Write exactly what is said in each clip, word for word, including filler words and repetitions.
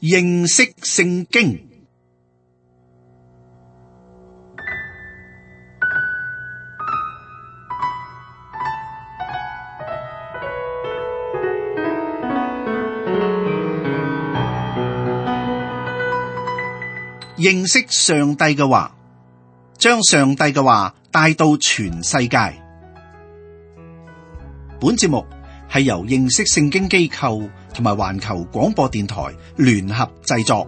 認識聖經。認識上帝嘅話，將上帝嘅話帶到全世界。本節目係由認識聖經機構同埋環球廣播電台聯合製作。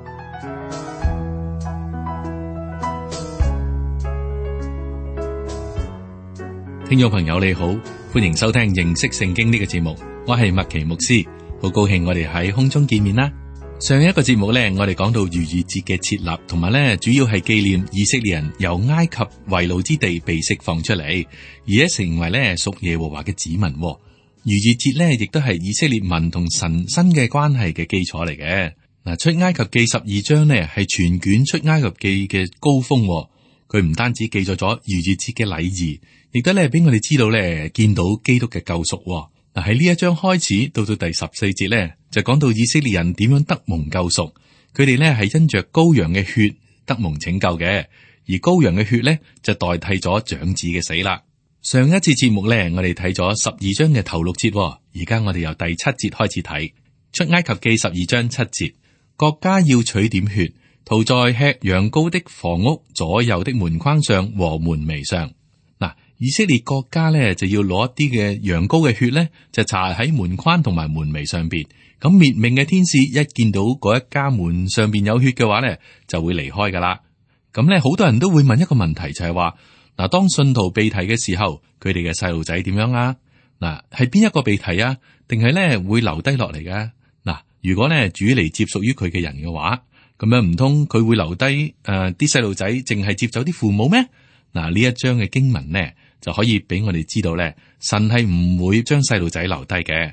聽眾朋友你好，歡迎收聽認識聖經呢個節目，我係麥奇牧師，好高興我哋喺空中見面啦。上一個節目呢，我哋講到逾越節嘅設立，同埋呢主要係紀念以色列人由埃及為奴之地被釋放出嚟，而且成為呢屬耶和華嘅子民。逾越節呢，亦都係以色列民同神新嘅關係嘅基礎嚟嘅。嗱，出埃及記十二章呢，係全卷出埃及記嘅高峰，佢唔單止記載咗逾越節嘅禮儀，亦都咧俾我哋知道咧見到基督嘅救贖。嗱，喺呢一章開始到到第十四節咧，就講到以色列人點樣得蒙救贖。佢哋咧係因着羔羊嘅血得蒙拯救嘅，而羔羊嘅血咧就代替咗長子嘅死啦。上一次節目咧，我哋睇咗十二章嘅頭六節，而家我哋由第七節開始睇出埃及記十二章七節，各家要取點血，塗在吃羊羔的房屋左右的門框上和門楣上。以色列國家咧就要攞一啲嘅羊羔嘅血咧，就搽喺門框同埋門楣上邊。咁滅命嘅天使一見到嗰一家門上邊有血嘅話咧，就會離開噶啦。咁咧好多人都會問一個問題，就係話嗱，當信徒被提嘅時候，佢哋嘅細路仔點樣啊？嗱，係邊一個被提啊？定係咧會留低落嚟嘅？嗱，如果咧主嚟接屬於佢嘅人嘅話，咁樣唔通佢會留低誒啲細路仔，淨係接走啲父母咩？嗱，呢一章嘅經文呢，就可以俾我哋知道咧，神係唔會將細路仔留低嘅。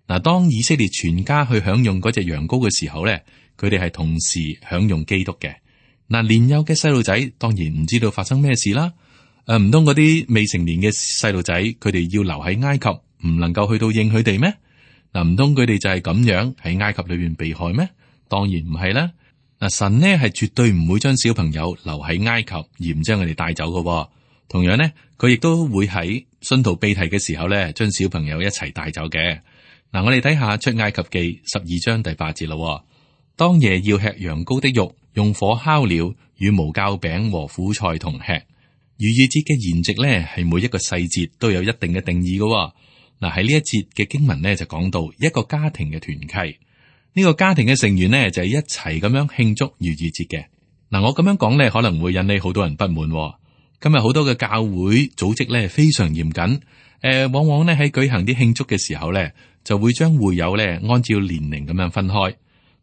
嗱，當以色列全家去享用嗰隻羊羔嘅時候咧，佢哋係同時享用基督嘅。嗱，年幼嘅細路仔當然唔知道發生咩事啦。誒，唔通嗰啲未成年嘅細路仔，佢哋要留喺埃及，唔能夠去到應佢哋咩？嗱，唔通佢哋就係咁樣喺埃及裏邊被害咩？當然唔係啦。嗱，神呢係絕對唔會將小朋友留喺埃及，而唔將佢哋帶走嘅。同樣呢，佢亦都會喺信徒被提嘅時候咧，將小朋友一齊帶走嘅。嗱，我哋睇下出埃及記十二章第八節咯。當夜要吃羊羔的肉，用火烤了，與無酵餅和苦菜同吃。逾越節嘅筵席咧，係每一個細節都有一定嘅定義嘅。嗱，喺呢一節嘅經文咧，就講到一個家庭嘅團契。呢個家庭嘅成員呢，就係一齊咁樣慶祝逾越節嘅。嗱，我咁樣講呢，可能會引起好多人不滿。今日好多嘅教會組織呢，非常嚴謹，誒、呃，往往呢喺舉行啲慶祝嘅時候呢，就會將會友呢按照年齡咁樣分開。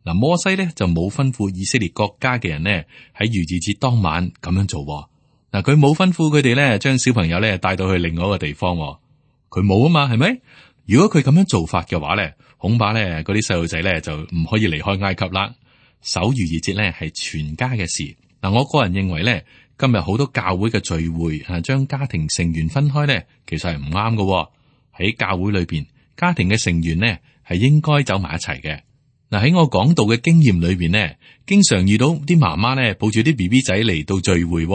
嗱，摩西呢就冇吩咐以色列國家嘅人呢喺逾越節當晚咁樣做。嗱，佢冇吩咐佢哋呢將小朋友呢帶到去另外一個地方。佢冇啊嘛，係咪？如果佢咁樣做法嘅話呢，恐怕咧，嗰啲細路仔咧就唔可以離開埃及啦。守逾越節咧係全家嘅事。嗱，我個人認為咧，今日好多教會嘅聚會啊，將家庭成員分開咧，其實係唔啱嘅。喺教會裏邊，家庭嘅成員呢係應該走埋一齊嘅。嗱，喺我講道嘅經驗裏邊呢，經常遇到啲媽媽咧抱住啲 B B 仔嚟到聚會。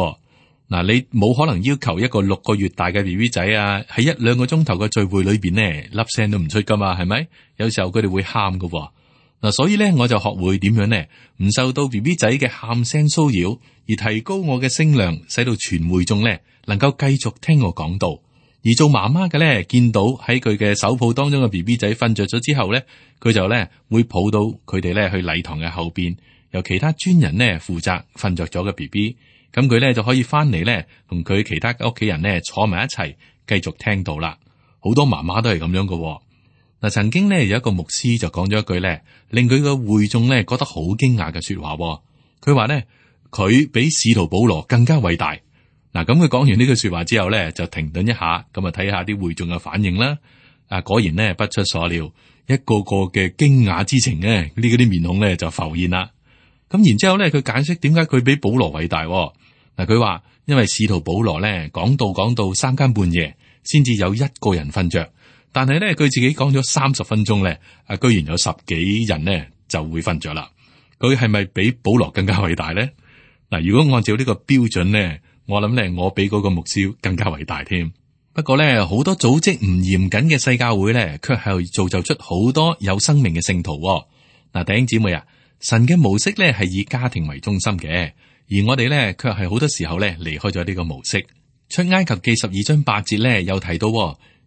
嗱，你冇可能要求一個六個月大嘅 B B 仔啊，喺一兩個鐘頭嘅聚會裏邊呢，粒聲都唔出噶嘛，係咪？有時候佢哋會喊噶。嗱，所以咧我就學會點樣呢？唔受到 B B 仔嘅喊聲騷擾，而提高我嘅聲量，使到全會眾咧能夠繼續聽我講道。而做媽媽嘅咧，見到喺佢嘅手抱當中嘅 B B 仔瞓着咗之後咧，佢就咧會抱到佢哋咧去禮堂嘅後邊，由其他專人咧負責瞓着咗嘅 B B。咁佢咧就可以翻嚟咧，同佢其他嘅屋企人咧坐埋一齊，繼續聽到啦。好多媽媽都係咁樣嘅。嗱，曾經咧有一個牧師就講咗一句咧，令佢嘅會眾咧覺得好驚訝嘅說話。佢話咧，佢比使徒保羅更加偉大。嗱，咁佢講完呢句說話之後咧，就停頓一下，咁啊睇下啲會眾嘅反應啦。啊，果然咧不出所料，一個個嘅驚訝之情咧，呢嗰啲面孔咧就浮現啦。咁然之後咧，佢解釋點解佢比保羅偉大。嗱，佢話因為使徒保羅咧講道講到三更半夜，先至有一個人瞓着，但係咧佢自己講咗三十分鐘咧，啊，居然有十幾人咧就會瞓着啦。佢係咪比保羅更加偉大咧？嗱，如果按照呢個標準咧，我諗咧我比嗰個牧師更加偉大添。不過咧，好多組織唔嚴謹嘅世教會咧，卻係造就出好多有生命嘅聖徒。嗱，弟兄姊妹啊，神嘅模式咧係以家庭為中心嘅，而我哋咧卻係好多時候咧離開咗呢個模式。出埃及記十二章八節咧有提到，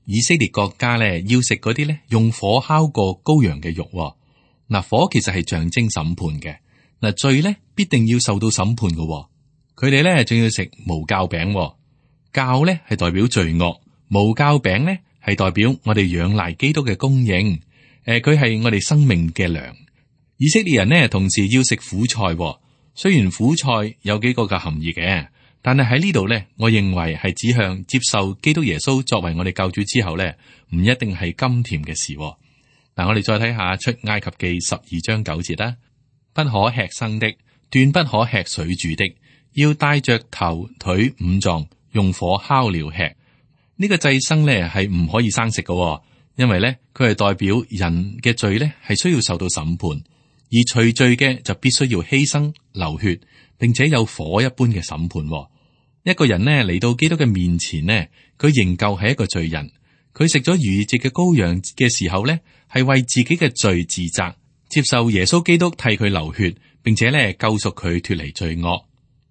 以色列國家咧要食嗰啲咧用火烤過羔羊嘅肉。嗱，火其實係象徵審判嘅。嗱，罪咧必定要受到審判嘅。佢哋咧仲要食無酵餅。酵咧係代表罪惡，無酵餅咧係代表我哋仰賴基督嘅供應。誒，佢係我哋生命嘅糧。以色列人呢，同時要食苦菜。雖然苦菜有幾個嘅含義嘅，但係喺呢度咧，我認為係指向接受基督耶穌作為我哋救主之後咧，唔一定係甘甜嘅事。嗱，我哋再睇下出埃及記十二章九節啦，不可吃生的，斷不可吃水煮的，要帶着頭腿五臟用火烤了吃。呢個祭牲咧係唔可以生食嘅，因為咧佢係代表人嘅罪咧係需要受到審判，而除罪嘅就必須要犧牲流血，並且有火一般嘅審判。一個人呢嚟到基督嘅面前呢，佢仍舊係一個罪人。佢食咗逾越節嘅羔羊嘅時候呢，係為自己嘅罪自責，接受耶穌基督替佢流血，並且咧救贖佢脫離罪惡。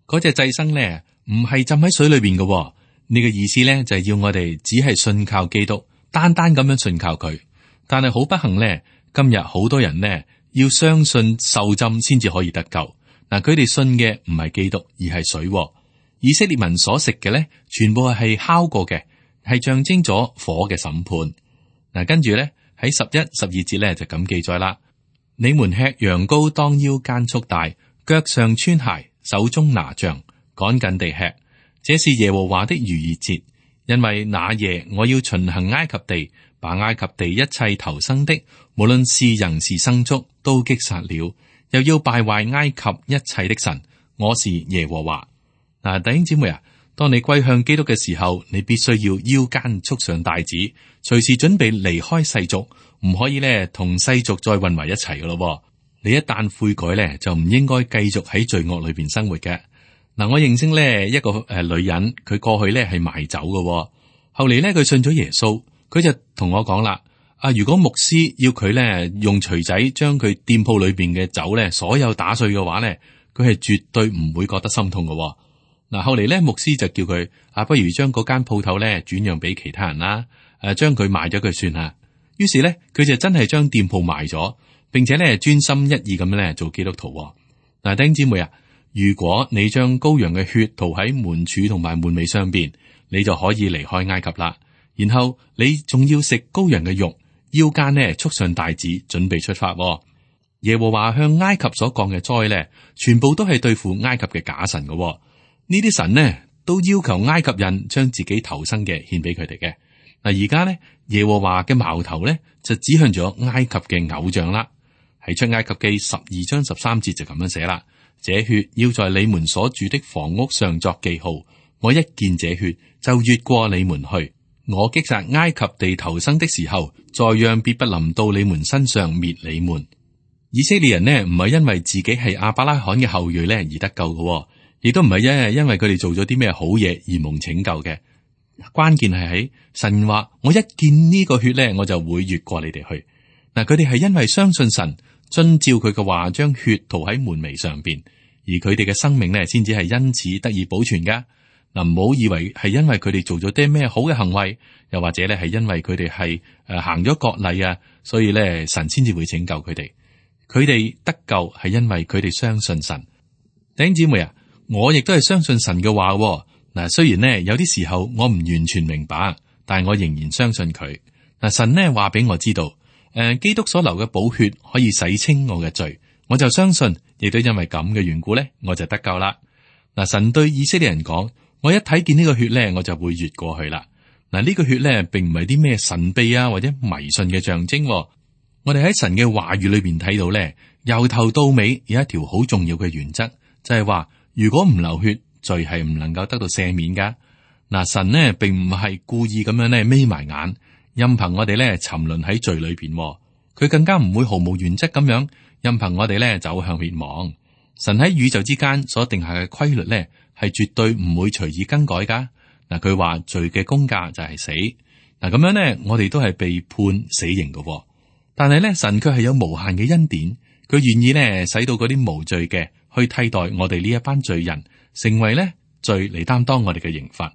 嗰隻祭牲咧唔係浸喺水裏邊嘅，呢個意思咧就係要我哋只係信靠基督，單單咁樣信靠佢。但係好不幸咧，今日好多人呢要相信受浸先至可以得救。嗱，佢哋信嘅唔係基督，而係水。以色列民所食嘅咧，全部係烤過嘅，係象徵咗火嘅審判。嗱，跟住咧喺十一、十二節咧就咁記載啦。你們吃羊羔當腰間束帶，腳上穿鞋，手中拿杖，趕緊地吃。這是耶和華的逾越節，因為那夜我要巡行埃及地，把埃及地一切投生的，無論是人是牲畜，都擊殺了，又要敗壞埃及一切的神。我是耶和華。嗱，弟兄姊妹啊，當你歸向基督嘅時候，你必須要腰間束上帶子，隨時準備離開世俗，唔可以咧同世俗再混為一齊嘅咯。你一旦悔改咧，就唔應該繼續喺罪惡裏邊生活嘅。嗱，我認識咧一個誒女人，佢過去咧係賣酒嘅，後嚟咧佢信咗耶穌，佢就同我講啦：啊，如果牧師要佢咧用錘仔將佢店鋪裏邊嘅酒咧所有打碎嘅話咧，佢係絕對唔會覺得心痛嘅。嗱，後嚟咧，牧師就叫佢啊，不如將嗰間鋪頭咧轉讓俾其他人啦，誒，將佢賣咗佢算啦。於是咧，佢就真係將店鋪賣咗，並且咧專心一意咁樣咧做基督徒。嗱，弟兄姊妹啊，如果你將羔羊嘅血塗喺門柱同埋門楣上邊，你就可以離開埃及啦。然後你仲要食羔羊嘅肉，腰間呢束上帶子，準備出發。耶和華向埃及所降嘅災咧，全部都係對付埃及嘅假神嘅。呢啲神呢都要求埃及人將自己投生嘅獻俾佢哋嘅。嗱，而家呢耶和華嘅矛頭呢就指向咗埃及嘅偶像啦。喺出埃及記十二章十三節就咁樣寫啦：這血要在你們所住的房屋上作記號，我一見這血就越過你們去。我擊殺埃及地投生的時候，再讓必不臨到你們身上滅你們。以色列人呢唔係因為自己係亞伯拉罕嘅後裔呢而得救嘅。亦都唔係因因為佢哋做咗啲咩好嘢而蒙拯救嘅，關鍵係喺神話，我一見呢個血咧，我就會越過你哋去。嗱，佢哋係因為相信神，遵照佢嘅話，將血塗喺門楣上邊，而佢哋嘅生命咧，先至係因此得以保存噶。嗱，唔好以為係因為佢哋做咗啲咩好嘅行為，又或者咧係因為佢哋係誒行咗割禮啊，所以咧神先至會拯救佢哋。佢哋得救係因為佢哋相信神。弟兄姊妹啊，我亦都係相信神嘅話。嗱，雖然呢有啲時候我唔完全明白，但係我仍然相信佢。嗱，神呢話俾我知道，誒，基督所流嘅寶血可以洗清我嘅罪，我就相信，亦都因為咁嘅緣故咧，我就得救啦。嗱，神對以色列人講，我一睇見呢個血咧，我就會越過去啦。嗱，呢個血咧，並唔係啲咩神秘啊或者迷信嘅象徵。我哋喺神嘅話語裏邊睇到咧，由頭到尾有一條好重要嘅原則，就係話，如果唔流血，罪係唔能夠得到赦免噶。嗱，神呢並唔係故意咁樣咧眯埋眼，任憑我哋咧沉淪喺罪裏邊。佢更加唔會毫無原則咁樣任憑我哋咧走向滅亡。神喺宇宙之間所定下嘅規律咧，係絕對唔會隨意更改噶。嗱，佢話罪嘅工價就係死。嗱，咁樣咧，我哋都係被判死刑嘅。但係咧，神卻係有無限嘅恩典，佢願意咧使到嗰啲無罪嘅去替代我哋呢一班罪人，成為咧罪嚟擔當我哋嘅刑罰。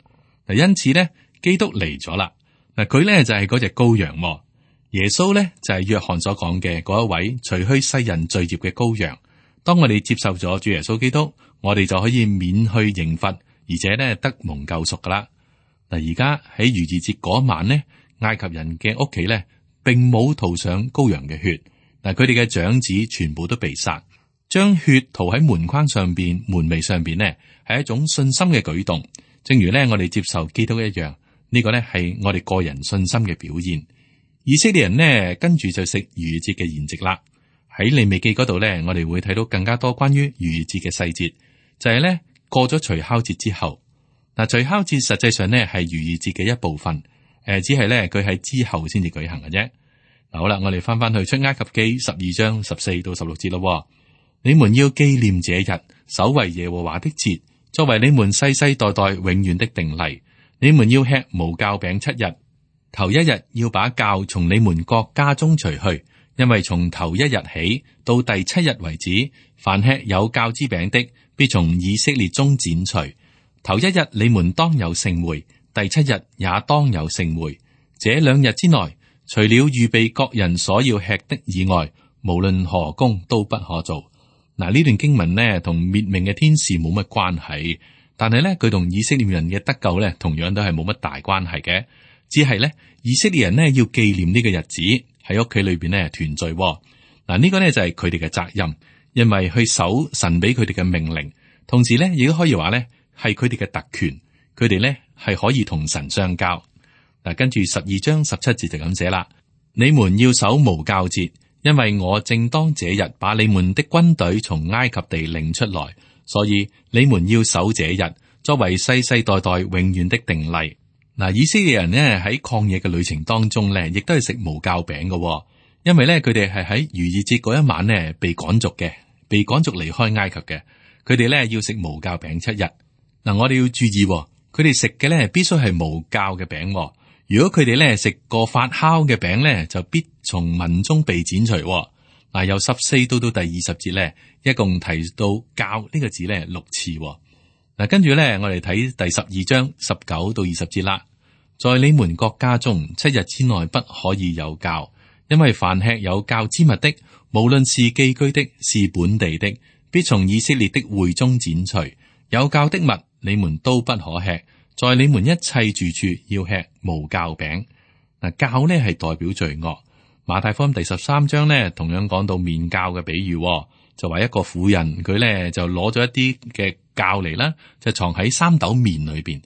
嗱，因此咧，基督嚟咗啦。嗱，佢咧就係嗰隻羔羊，耶穌咧就係約翰所講嘅嗰一位除去世人罪孽嘅羔羊。當我哋接受咗主耶穌基督，我哋就可以免去刑罰，而且咧得蒙救贖噶啦。嗱，而家喺逾越節嗰晚呢，埃及人嘅屋企咧，並冇塗上羔羊嘅血。嗱，佢哋嘅長子全部都被殺，將血塗喺門框上邊、門楣上邊呢，係一種信心嘅舉動。正如咧我哋接受基督一樣，呢個咧係我哋個人信心嘅表現。以色列人呢，跟住就食逾越節嘅筵席啦。喺利未記嗰度咧，我哋會睇到更加多關於逾越節嘅細節，就係咧過咗除酵節之後。嗱，除酵節實際上咧係逾越節嘅一部分，誒，只係咧佢喺之後先至舉行嘅啫。嗱，好啦，我哋翻翻去出埃及記十二章十四到十六節咯。你們要紀念這日，守為耶和華的節，作為你們世世代代永遠的定例。你們要吃無酵餅七日，頭一日要把酵從你們各家中除去。因為從頭一日起到第七日為止，凡吃有酵之餅的，必從以色列中剪除。頭一日你們當有聖會，第七日也當有聖會。這兩日之內，除了預備各人所要吃的以外，無論何工都不可做。嗱，呢段經文呢，同滅命嘅天使冇乜關係，但係呢，佢同以色列人嘅得救呢，同樣都係冇乜大關係嘅。只係呢，以色列人呢，要紀念呢個日子。喺屋企裏邊咧團聚，嗱，呢個咧就係佢哋嘅責任，因為去守神俾佢哋嘅命令，同時咧亦都可以話咧係佢哋嘅特權，佢哋咧係可以同神相交。嗱，跟住十二章十七節就咁寫啦：你們要守無酵節，因為我正當這日把你們的軍隊從埃及地領出來，所以你們要守這日，作為世世代代永遠的定例。嗱，以色列人咧喺曠野嘅旅程當中咧，亦都係食無酵餅嘅，因為咧佢哋係喺逾越節嗰一晚咧被趕逐嘅，被趕逐離開埃及嘅。佢哋咧要食無酵餅七日。嗱，我哋要注意，佢哋食嘅咧必須係無酵嘅餅。如果佢哋咧食過發酵嘅餅咧，就必從民中被剪除。嗱，由十四到到第二十節咧，一共提到酵呢個字咧六次。嗱，跟住咧，我哋睇第十二章十九到二十節啦。在你們各家中七日之內不可以有酵，因為凡吃有酵之物的，無論是寄居的，是本地的，必從以色列的會中剪除。有酵的物，你們都不可吃。在你們一切住處要吃無酵餅。嗱，酵呢係代表罪惡。馬太福音第十三章呢，同樣講到麵酵嘅比喻，就話一個婦人佢咧就攞咗一啲嘅酵嚟啦，就藏喺三斗麵裏邊。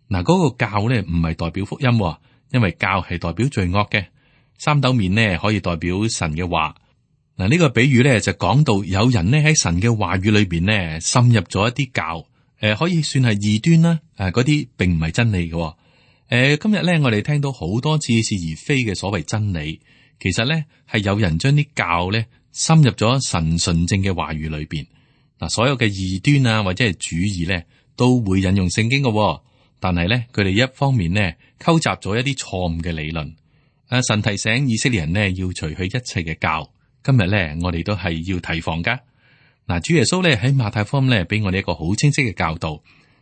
嗱，嗰個酵咧唔係代表福音，因為酵係代表罪惡嘅。三斗麵呢可以代表神嘅話。嗱，呢個比喻咧就講到有人呢喺神嘅話語裏邊呢滲入咗一啲酵，誒可以算係異端啦。誒嗰啲並唔係真理嘅。誒今日咧我哋聽到好多似是而非嘅所謂真理，其實咧係有人將啲酵咧深入咗神純正嘅話語裏邊。嗱，所有嘅異端啊或者係主義咧都會引用聖經嘅，但係咧佢哋一方面呢溝雜咗一啲錯誤嘅理論。啊，神提醒以色列人呢要除去一切嘅酵。今日咧我哋都係要提防噶。嗱，主耶穌咧喺馬太福音咧俾我哋一個好清晰嘅教導。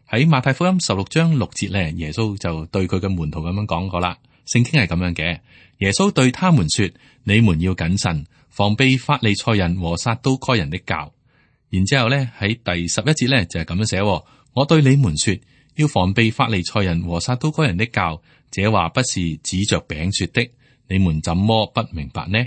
喺馬太福音十六章六節咧，耶穌就對佢嘅門徒咁樣講過啦。聖經係咁樣嘅，耶穌對他們說：你們要謹慎，防備法利賽人和撒都該人的酵。然之後咧喺第十一節咧就係咁樣寫：我對你們說，要防備法利賽人和撒都該人的酵。這話不是指着餅說的，你們怎麼不明白呢？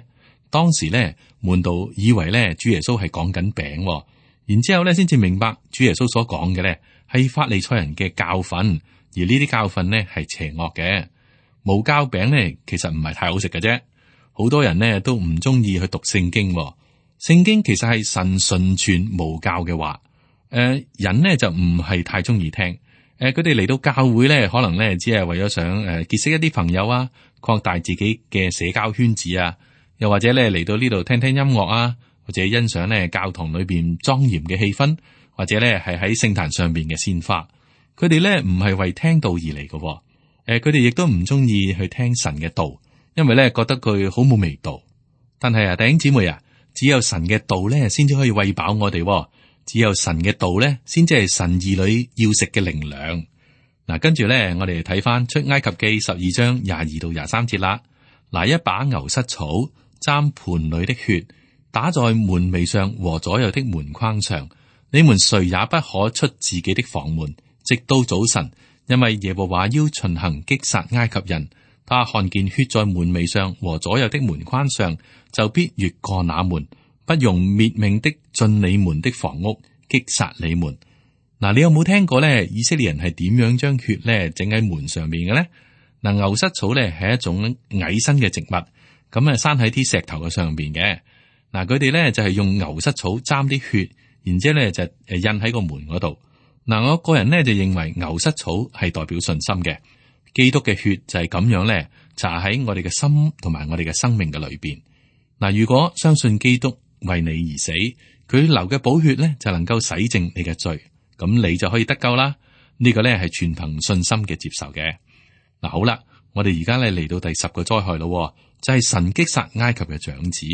當時咧門徒以為咧主耶穌係講緊餅，然之後咧先至明白主耶穌所講嘅咧係法利賽人嘅教訓，而呢啲教訓咧係邪惡嘅。無酵餅咧其實唔係太好食嘅啫，好多人咧都唔中意去讀聖經。聖經其實係神純全無酵嘅話，誒、呃、人呢就唔係太中意聽。誒佢哋嚟到教會咧，可能咧只係為咗想誒、呃、結識一啲朋友啊，擴大自己嘅社交圈子啊，又或者咧嚟到呢度聽聽音樂啊，或者欣賞咧教堂裏邊莊嚴嘅氣氛，或者咧係喺聖壇上邊嘅鮮花。佢哋咧唔係為聽道而嚟嘅，誒，佢哋亦都唔中意去聽神嘅道，因為咧覺得佢好冇味道。但係啊，弟兄姊妹啊，只有神嘅道咧，先至可以餵飽我哋。只有神嘅道咧，先至係神兒女要食嘅靈糧。嗱，跟住咧，我哋睇翻出埃及記十二章廿二到廿三節啦。拿一把牛膝草，沾盤裏的血，打在門楣上和左右的門框上。你們誰也不可出自己的房門，直到早晨，因為耶和華要巡行擊殺埃及人。他看見血在門楣上和左右的門框上，就必越過那門，不容滅命的進你們的房屋，擊殺你們。嗱，你有冇聽過咧？以色列人係點樣將血咧整喺門上面嘅咧？嗱，牛膝草咧係一種矮身嘅植物，咁啊生喺啲石頭嘅上邊嘅。嗱，佢哋咧就係用牛膝草沾啲血，然之後咧就誒印喺個門嗰度。嗱，我個人咧就認為牛膝草係代表信心嘅，基督嘅血就係咁樣咧搽喺我哋嘅心同埋我哋嘅生命嘅裏邊。嗱，如果相信基督為你而死，佢流嘅寶血咧就能夠洗淨你嘅罪，咁你就可以得救啦。呢個咧係全憑信心嘅接受嘅。嗱，好啦，我哋而家咧嚟到第十個災害咯，就係神擊殺埃及嘅長子。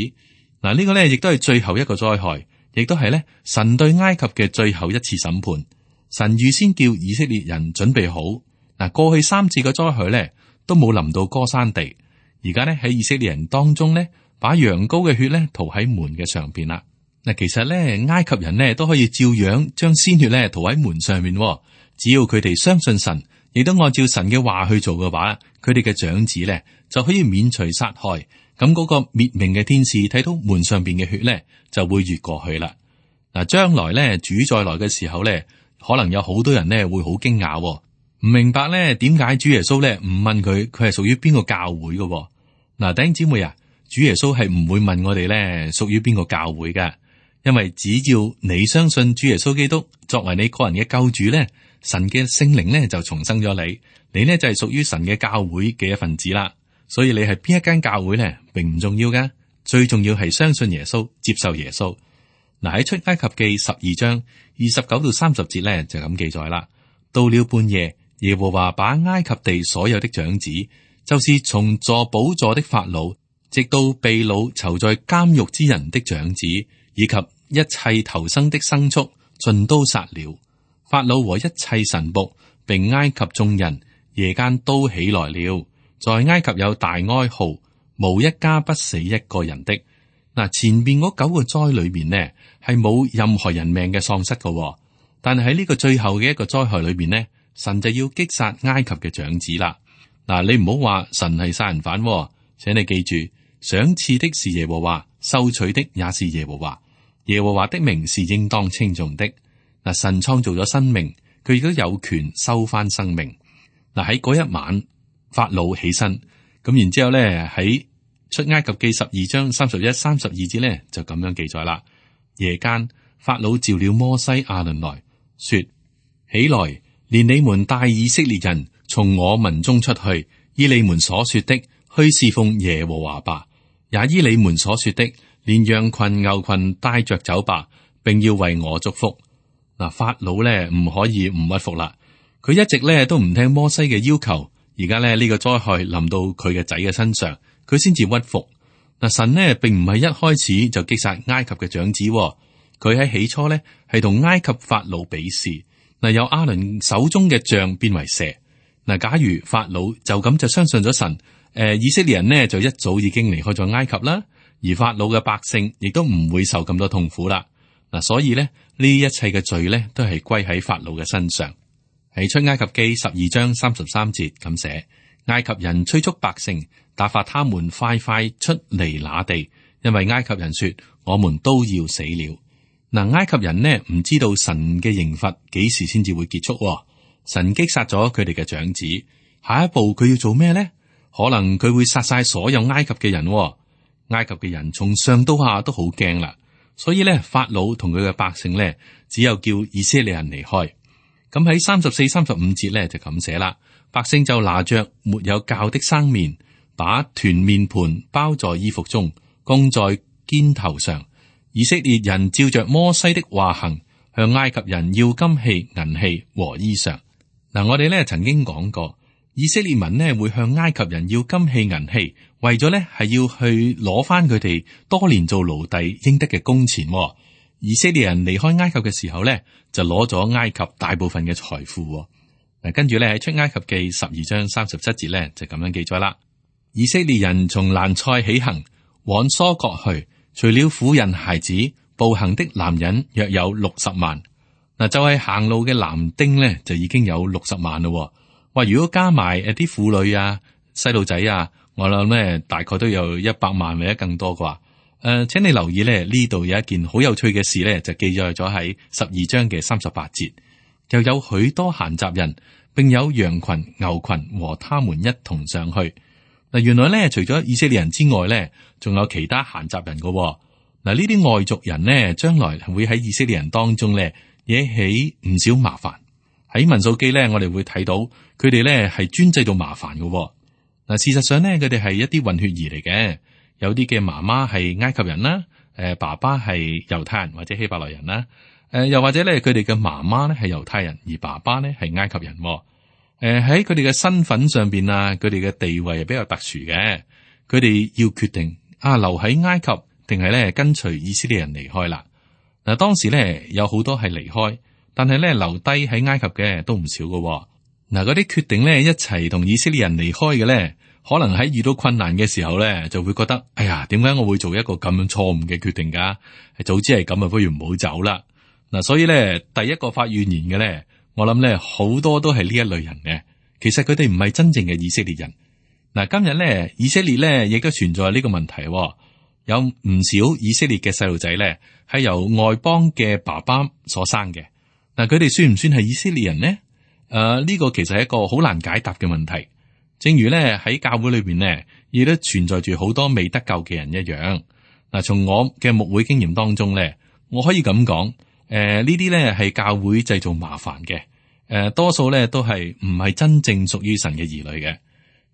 嗱，呢個咧亦都係最後一個災害，亦都係咧神對埃及嘅最後一次審判。神預先叫以色列人準備好。嗱，過去三次嘅災害咧都冇臨到歌珊地，而家咧喺以色列人當中咧，把羊羔嘅血咧塗喺門嘅上邊啦。嗱，其實咧埃及人咧都可以照樣將鮮血咧塗喺門上面，只要佢哋相信神，亦都按照神嘅話去做嘅話，佢哋嘅長子咧就可以免除殺害。咁嗰個滅命嘅天使睇到門上邊嘅血咧，就會越過去啦。嗱，將來咧主再來嘅時候咧，可能有好多人咧會好驚訝，唔明白咧點解主耶穌咧唔問佢佢係屬於邊個教會嘅。嗱，弟兄姊妹啊，主耶穌係唔會問我哋咧屬於邊個教會嘅，因為只要你相信主耶穌基督作為你個人嘅救主咧，神嘅聖靈咧就重生咗你，你呢就係屬於神嘅教會嘅一份子啦。所以你係邊一間教會咧，並唔重要噶，最重要係相信耶穌，接受耶穌。嗱，喺出埃及記十二章二十九到三十節咧就咁記載啦。到了半夜，耶和華把埃及地所有的長子，就是從坐寶座的法老，直到被擄囚在監獄之人的長子，以及一切頭生的牲畜，盡都殺了。法老和一切臣僕，並埃及眾人，夜間都起來了。在埃及有大哀號，無一家不死一個人的。嗱，前邊嗰九個災裏面呢，係冇任何人命嘅喪失嘅，但係喺呢個最後嘅一個災害裏邊呢，神就要擊殺埃及嘅長子啦。嗱，你唔好話神係殺人犯，請你記住，賞賜的是耶和華，收取的也是耶和華。耶和華的名是應當稱頌的。嗱，神創造咗生命，佢亦都有權收翻生命。嗱，喺嗰一晚，法老起身，咁然之後咧喺出埃及記十二章三十一、三十二節咧就咁樣記載啦。夜間，法老召了摩西、亞倫來說：起來，連你們帶以色列人從我民中出去，依你們所說的去侍奉耶和華吧，也依你們所說的連羊群、牛群帶着走吧，並要為我祝福。嗱，法老咧唔可以唔屈服啦，佢一直咧都唔聽摩西嘅要求。而家咧呢個災害臨到佢嘅仔嘅身上，佢先至屈服。嗱，神呢並唔係一開始就擊殺埃及嘅長子，佢喺起初咧係同埃及法老比試。嗱，由亞倫手中嘅杖變為蛇。嗱，假如法老就咁就相信咗神，誒，以色列人呢就一早已經離開咗埃及啦，而法老嘅百姓亦都唔會受咁多痛苦啦。嗱，所以咧呢一切嘅罪咧都係歸喺法老嘅身上。喺出埃及記十二章三十三節咁寫：埃及人催促百姓，打發他們快快出離那地，因為埃及人說我們都要死了。嗱，埃及人呢唔知道神嘅刑罰幾時先至會結束，神擊殺咗佢哋嘅長子，下一步佢要做咩呢？可能佢會殺晒所有埃及嘅人。埃及嘅人從上到下都好驚啦，所以咧法老同佢嘅百姓咧只有叫以色列人離開。咁喺三十四、三十五節咧就咁寫啦，百姓就拿着沒有酵的生麵，把團麵盤包在衣服中，供在肩頭上，以色列人照着摩西的話行，向埃及人要金器、銀器和衣裳。嗱，我哋咧曾經講過，以色列民呢會向埃及人要金器、銀器，為咗咧係要去攞翻佢哋多年做奴隸應得嘅工錢。以色列人離開埃及嘅時候咧，就攞咗埃及大部分嘅財富。嗱，跟住咧喺出埃及記十二章三十七節咧就咁樣記載啦。以色列人從蘭塞起行，往疏割去，除了婦人孩子，步行的男人約有六十萬。嗱，就係行路嘅男丁咧就已經有六十萬咯。話如果加埋誒啲婦女啊、細路仔啊，我諗咧大概都有一百萬或者更多啩。誒、呃，請你留意咧，呢度有一件好有趣嘅事咧，就記載咗喺十二章嘅三十八節，又有許多閒雜人，並有羊群、牛群和他們一同上去。嗱，原來咧除咗以色列人之外咧，仲有其他閒雜人噶。嗱，呢啲外族人呢，將來會喺以色列人當中咧惹起唔少麻煩。喺民數記咧，我哋會睇到佢哋咧係專製造麻煩噶。嗱，事實上咧，佢哋係一啲混血兒嚟嘅。有啲嘅媽媽係埃及人啦，誒，爸爸係猶太人或者希伯來人啦，誒，又或者咧佢哋嘅媽媽咧係猶太人，而爸爸咧係埃及人。誒，喺佢哋嘅身份上邊啊，佢哋嘅地位係比較特殊嘅。佢哋要決定啊，留喺埃及定係咧跟隨以色列人離開啦。嗱，當時咧有好多係離開，但係咧留低喺埃及嘅都唔少噶。嗱，嗰啲決定咧一齊同以色列人離開嘅咧，可能喺遇到困難嘅時候咧，就會覺得，哎呀，點解我會做一個咁樣錯誤嘅決定噶？早知係咁啊，不如唔好走啦。嗱，所以咧，第一個發怨言嘅咧，我諗咧好多都係呢一類人嘅。其實佢哋唔係真正嘅以色列人。嗱，今日咧以色列咧亦都存在呢個問題，有唔少以色列嘅細路仔咧係由外邦嘅爸爸所生嘅。嗱，佢哋算唔算係以色列人呢？誒、呃，呢、這個其實係一個好難解答嘅問題。正如咧喺教會裏邊呢，亦都存在住好多未得救嘅人一樣。嗱，從我嘅牧會經驗當中咧，我可以咁講，誒、呃，呢啲咧係教會製造麻煩嘅，誒、呃，多數咧都係唔係真正屬於神嘅兒女嘅。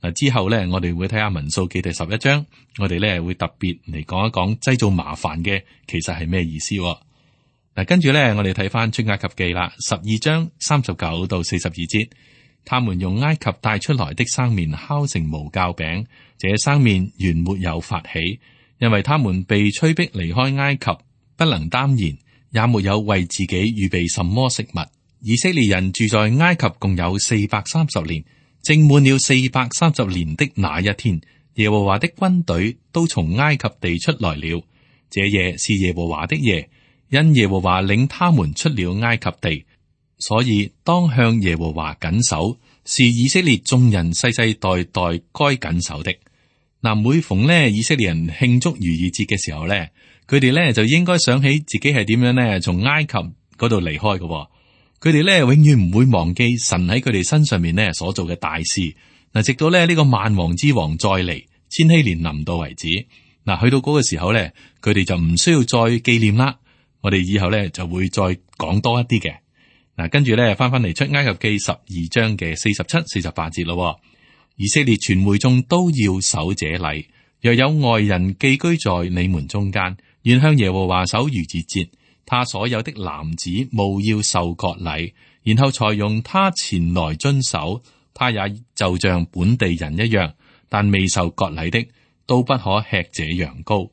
嗱，之後咧我哋會睇下民數記第十一章，我哋咧會特別嚟講一講製造麻煩嘅其實係咩意思。嗱，跟住咧我哋睇翻出埃及記啦，十二章三十九到四十二節。他們用埃及帶出來的生麵烤成無酵餅，這生麵原沒有發起，因為他們被催逼離開埃及，不能擔言，也沒有為自己預備什麼食物。以色列人住在埃及共有四百三十年，正滿了四百三十年的那一天，耶和華的軍隊都從埃及地出來了。這夜是耶和華的夜，因耶和華領他們出了埃及地。所以當向耶和華謹守，是以色列眾人世世代代該謹守的。嗱，每逢呢以色列人慶祝逾越節嘅時候咧，佢哋咧就應該想起自己係點樣咧從埃及嗰度離開嘅。佢哋咧永遠唔會忘記神喺佢哋身上面咧所做嘅大事。嗱，直到咧呢個萬王之王再嚟，千禧年臨到為止。嗱，去到嗰個時候咧，佢哋就唔需要再紀念啦。我哋以後咧就會再講多一啲嘅。嗱，跟住咧翻翻嚟出埃及記十二章嘅四十七、四十八節咯。以色列全會眾都要守這禮，若有外人寄居在你們中間，願向耶和華守逾越節，他所有的男子務要受割禮，然後才容他前來遵守。他也就像本地人一樣，但未受割禮的都不可吃這羊羔。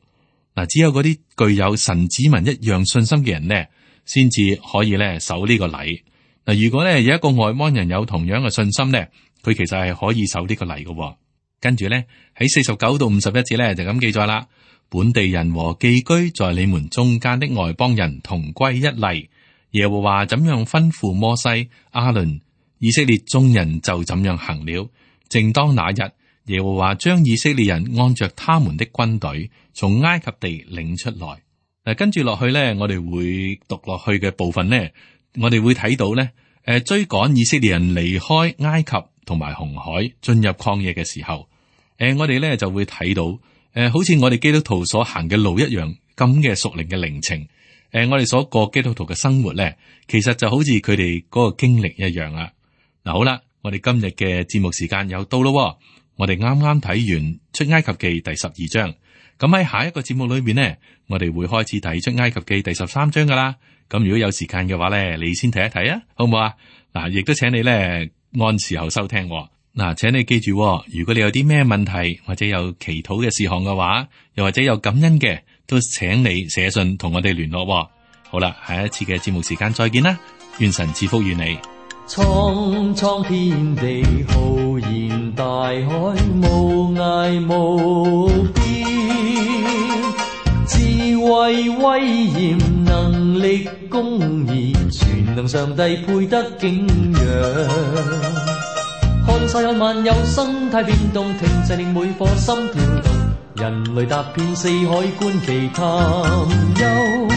嗱，只有嗰啲具有神子民一樣信心嘅人呢，先至可以咧守呢個禮。嗱，如果咧有一個外邦人有同樣嘅信心咧，佢其實係可以守呢個禮嘅。跟住咧喺四十九到五十一節咧就咁記載啦。本地人和寄居在你們中間的外邦人同歸一例。耶和華怎樣吩咐摩西、亞倫，以色列眾人就怎樣行了。正當那日，耶和華將以色列人按着他們的軍隊從埃及地領出來。嗱，跟住落去咧，我哋會讀落去嘅部分咧，我哋會睇到咧，誒，追趕以色列人離開埃及同埋紅海進入曠野嘅時候，誒，我哋咧就會睇到，誒，好似我哋基督徒所行嘅路一樣咁嘅屬靈嘅靈程，誒，我哋所過基督徒嘅生活咧，其實就好似佢哋嗰個經歷一樣啦。嗱，好啦，我哋今日嘅節目時間又到咯，我哋啱啱睇完出埃及記第十二章。咁喺下一個節目裏面呢，我哋會開始睇出埃及記第十三章噶啦。咁如果有時間嘅話呢，你先睇一睇啊，好唔好啊？嗱，亦都請你呢按時候收聽。嗱，請你記住，如果你有啲咩問題或者有祈禱嘅事項嘅話，又或者有感恩嘅，都請你寫信同我哋聯絡。好啦，下一次嘅節目時間再見啦，願神賜福於你。蒼蒼天地浩然大海，無涯無邊，智慧威嚴能力公義，全能上帝配得敬仰。看世間萬有生態變動，停滯令每顆心跳動，人類踏遍四海觀其探幽。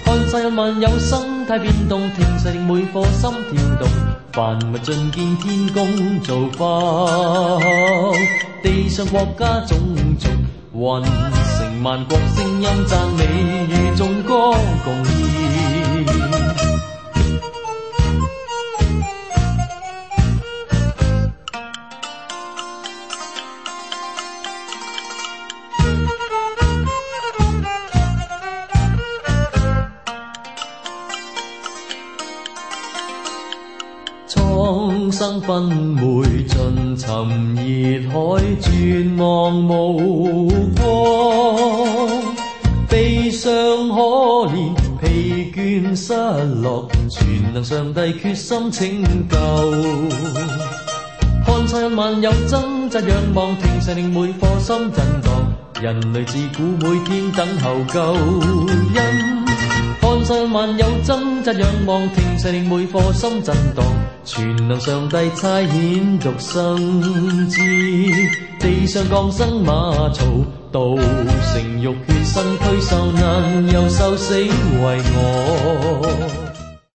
看世間萬有生態變動，停滯令每顆心跳動，萬物盡見天公造化，地上國家種族，混成萬國聲音讚美與眾歌共演。蒼生紛昧盡沉熱海，絕望無光，悲傷可憐疲倦失落，全能上帝決心拯救。看世人萬有掙扎仰望，停滯令每顆心震盪，人類自古每天等候救恩。看世萬有掙扎仰望，停滯令每顆心震盪，全能上帝差遣獨生子，地上降生馬槽，道成肉血身軀受難，又受死為我。